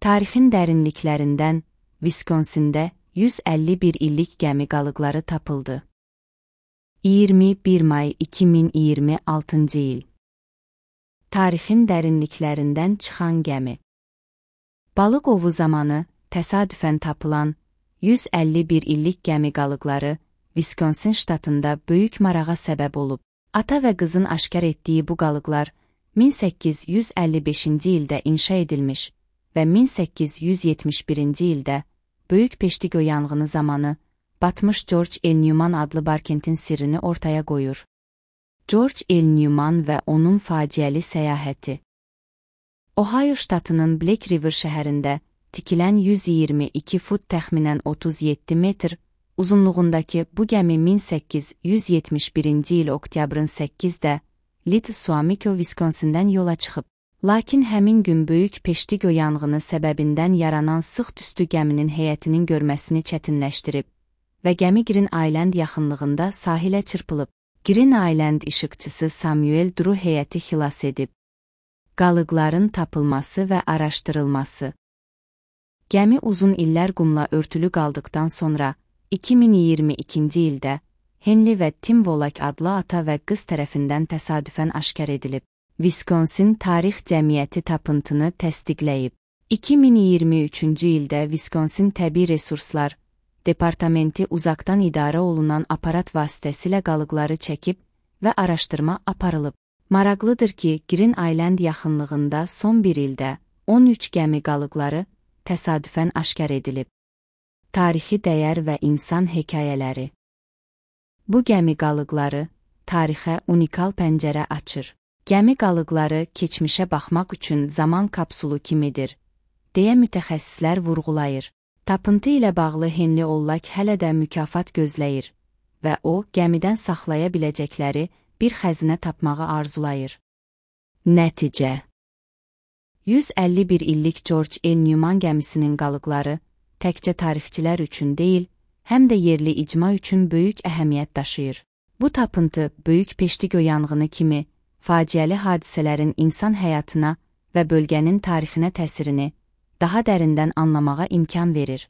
Tarixin dərinliklərindən Viskonsində 151 illik gəmi qalıqları tapıldı. 21 may 2026 il. Tarixin dərinliklərindən çıxan gəmi. Balıq ovu zamanı təsadüfən tapılan 151 illik gəmi qalıqları Viskonsin ştatında böyük marağa səbəb olub. Ata və qızın aşkar etdiyi bu qalıqlar 1855-ci ildə inşa edilmiş və 1871-ci ildə Böyük Peştigo yanğını zamanı batmış George L. Newman adlı Barkentin sirrini ortaya qoyur. George L. Newman və onun faciəli səyahəti. Ohio ştatının Black River şəhərində tikilən 122 fut təxminən 37 metr uzunluğundakı bu gəmi 1871-ci il oktyabrın 8-də Little Suamico, Viskonsindən yola çıxıb. Lakin həmin gün Böyük Peştigo yanğını səbəbindən yaranan sıx tüstü gəminin heyətinin görməsini çətinləşdirib və gəmi Green Island yaxınlığında sahilə çırpılıb. Green Island işıqçısı Samuel Drew heyəti xilas edib. Qalıqların tapılması və araşdırılması. Gəmi uzun illər qumla örtülü qaldıqdan sonra 2022-ci ildə Henry və Tim Volak adlı ata və qız tərəfindən təsadüfən aşkar edilib. Viskonsin Tarix Cəmiyyəti tapıntını təsdiqləyib. 2023-cü ildə Viskonsin Təbii Resurslar Departamenti uzaqdan idarə olunan aparat vasitəsilə qalıqları çəkib və araşdırma aparılıb. Maraqlıdır ki, Green Island yaxınlığında son bir ildə 13 gəmi qalıqları təsadüfən aşkar edilib. Tarixi dəyər və insan hekayələri. Bu gəmi qalıqları tarixə unikal pəncərə açır. Gəmi qalıqları keçmişə baxmaq üçün zaman kapsulu kimidir, deyə mütəxəssislər vurğulayır. Tapıntı ilə bağlı Henry Ollak hələ də mükafat gözləyir və o, gəmidən saxlaya biləcəkləri bir xəzinə tapmağı arzulayır. Nəticə. 151 illik George L. Newman gəmisinin qalıqları təkcə tarixçilər üçün deyil, həm də yerli icma üçün böyük əhəmiyyət daşıyır. Bu tapıntı Böyük Peştigo yanğını kimi faciəli hadisələrin insan həyatına və bölgənin tarixinə təsirini daha dərindən anlamağa imkan verir.